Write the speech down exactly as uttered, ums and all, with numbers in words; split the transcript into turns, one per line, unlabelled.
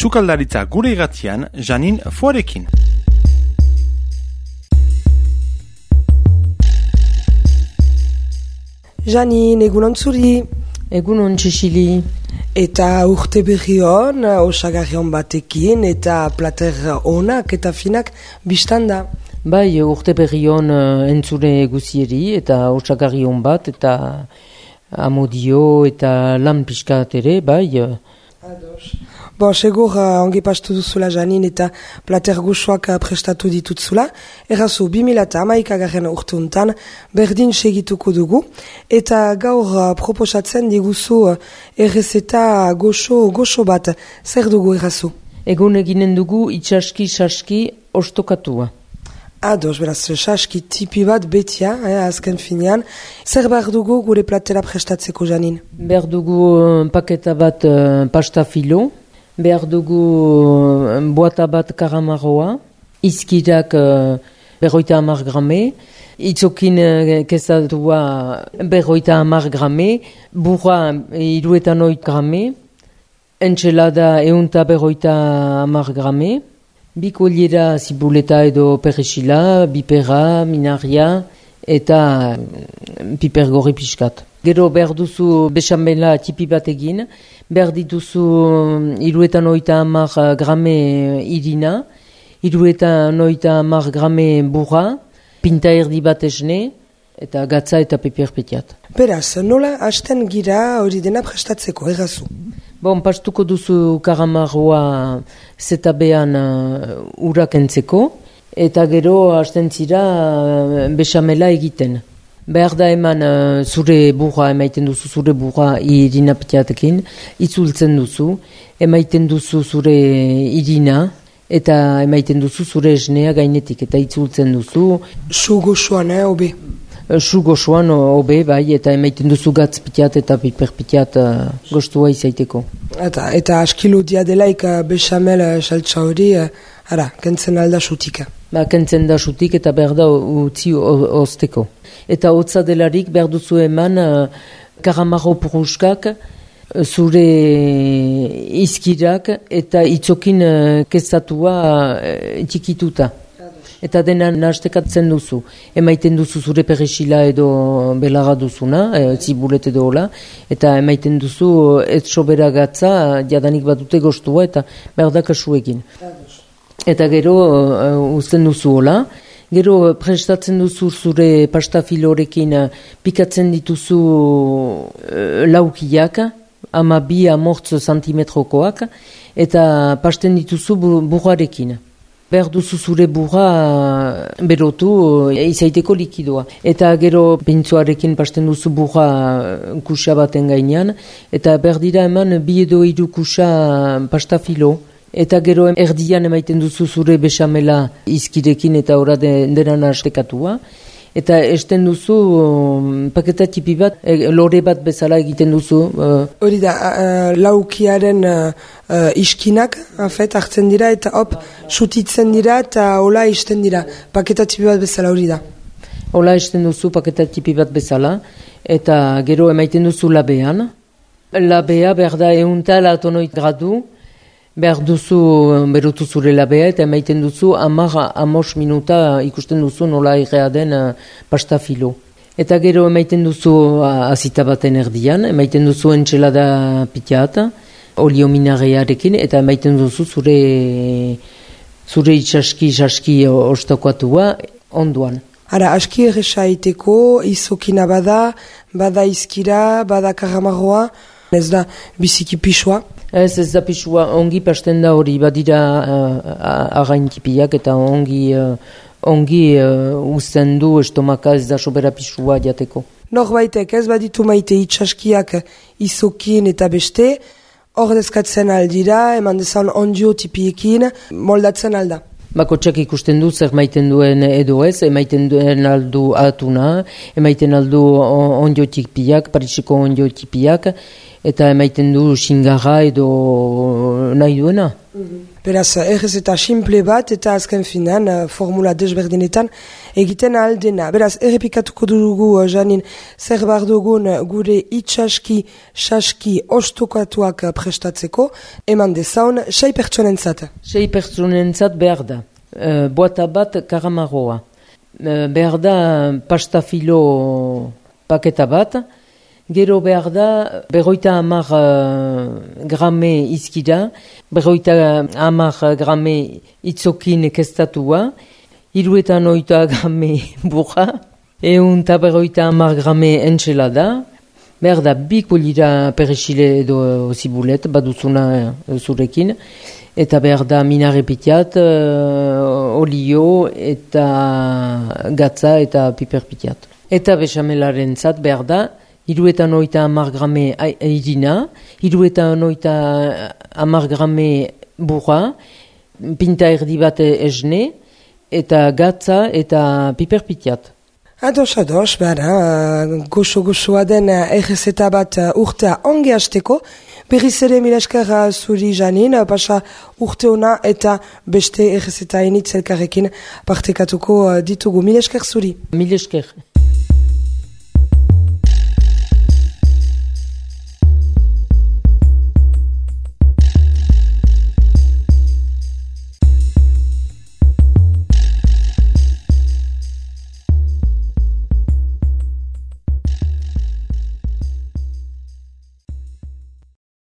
Sukaldaritza gure irratian, Janin Foarekin.
Janin, egunon zuri.
Egunon Txixili.
Eta urte berri hon, osagarri hon batekin, eta plater onak eta finak biztan da.
Bai, urte berri hon entzure guzieri, eta osagarri hon bat, eta amodio, eta lan pixkat ere, bai.
Ados. Bo, segur uh, ongi pastu duzula Janin eta plater guxoak uh, prestatu ditutzula. Errazu, bi mila hamaikagarren urte untan berdin segituko dugu. Eta gaur uh, proposatzen diguzu uh, errezeta goxo, goxo bat. Zer dugu errazu?
Egun eginen dugu itxaski-saski ostokatua.
Ados, beraz, saski tipi bat betia, eh, azken finean. Zer behar dugu gure platera prestatzeko Janin?
Behar dugu uh, paketa bat uh, pasta filo. Behar dugu boata bat karamarroa, izkirak uh, berroita hamar grame, itzokin uh, kezatua berroita hamar grame, burra iruetan oit grame, entxelada eunta berroita hamar grame, bi koliera zibuleta edo perexila, bipera, minaria eta piper gorri pixkat. Gero behar duzu besamela tipi bat egin, behar dituzu iruetan oita hamar grame irina, iruetan oita hamar grame burra, pinta erdi bat esne, eta gatza eta peperpetiat.
Beraz, nola hasten gira hori dena prestatzeko, errazu?
Bon, pastuko duzu karamarroa zetabean uh, urak entzeko, eta gero hasten zira uh, besamela egiten. Behar da eman uh, zure burra, emaiten duzu zure burra irina petiatekin, itzultzen duzu, emaiten duzu zure irina, eta emaiten duzu zure esnea gainetik, eta itzultzen duzu.
Su goxoan, eh, obe?
Su goxoan, obe, bai, eta emaiten duzu gatz pitiat eta piper pitiat uh, goztua izaiteko. Eta,
eta askilo diadelaik uh, bechamel uh, saltsa hori, uh, ara, kentzen alda sutika.
Ba, kentzen da sutik eta behar da utzi ozteko. Eta hotza delarik behar duzu eman uh, karamarro puruskak, zure izkirak eta itzokin uh, kezatua uh, txikituta. Eta dena nahastekatzen duzu. Emaiten duzu zure perexila edo belarra duzuna, e, zibulet edo hola, eta emaiten duzu ez sobera gatza, jadanik bat dute goztua eta behar da kasu egin. Eta gero uh, uzten duzu hola, gero prestatzen duzu zure pasta filorekin uh, pikatzen dituzu uh, laukiak, ama bi amortz santimetrokoak, eta pasten dituzu burrarekin. Behar duzu zure burra berotu uh, izaiteko likidoa. Eta gero pintzuarekin pasten duzu burra kusa baten gainean, eta behar dira eman bi edo hiru kusa pasta filo. Eta gero erdian emaiten duzu zure besamela izkirekin eta ora dena nahastekatua. Eta esten duzu um, paketa tipi bat, e, lore bat bezala egiten duzu.
Hori uh, da, uh, laukiaren uh, uh, iskinak afet, hartzen dira eta hop, sutitzen dira eta hola isten dira. Paketa tipi bat bezala hori da.
Hola esten duzu paketa tipi bat bezala. Eta gero emaiten duzu labean. Labea behar da eunta latonoit gradu. Behar duzu berutu zure labea eta emaiten duzu amar amos minuta ikusten duzu nola irrea den uh, pasta filo. Eta gero emaiten duzu uh, azita baten erdian, emaiten duzu entxelada pitiata, olio minarearekin, eta emaiten duzu zure, zure itxaski-saski ostokatua onduan.
Ara, aski erresa iteko, izokina bada, bada izkira, bada karamarroa, ez da biziki pixua.
Ez, ez da pixua, ongi pasten da hori, badira uh, againkipiak eta ongi, uh, ongi uh, uzten du estomaka ez da sobera pixua jateko.
Norbaitek ez baditu maite itxaskiak izokin eta beste, hor dezkatzen aldira, eman dezan ondio tipiekin, moldatzen alda.
Bakotxak ikusten du zer maiten duen edo ez, emaiten duen aldu atuna, emaiten aldu ondio tipiak, Parisiko ondio tipiak, eta emaiten du xingarra edo nahi duena.
Beraz, errez eta simple bat, eta azken finan, formula desberdinetan egiten aldena. Beraz, errepikatuko dugu, Janin, zer bar dugun gure itxaski, saski, ostokatuak prestatzeko, eman dezaun, sei pertsonentzat.
Sei pertsonentzat behar da. Uh, boata bat karamarroa. Uh, behar da pastafilo paketa bat, gero behar da berroita hamar uh, grame izkira, berroita hamar grame itzokin kestatua, hiruetan oita grame burra, eun eta berroita hamar grame entxelada, behar da bi kolira perexile edo zibulet, baduzuna zurekin, eta behar da minare pitiat, uh, olio eta gatza eta piper pitiat. Eta bechamelaren zat behar da, hiruetan oita hamar grame irina, hiruetan oita hamar grame burra, pinta erdi bat esne, eta gatza eta piper pitiat.
Ados, ados, behar, goxo-goxoa den errezeta bat urtea onge hasteko, berriz ere mila esker zuri Janin, pasa urte ona eta beste errezeta enitz elkarrekin partekatuko ditugu. Mila esker zuri.
Mila esker.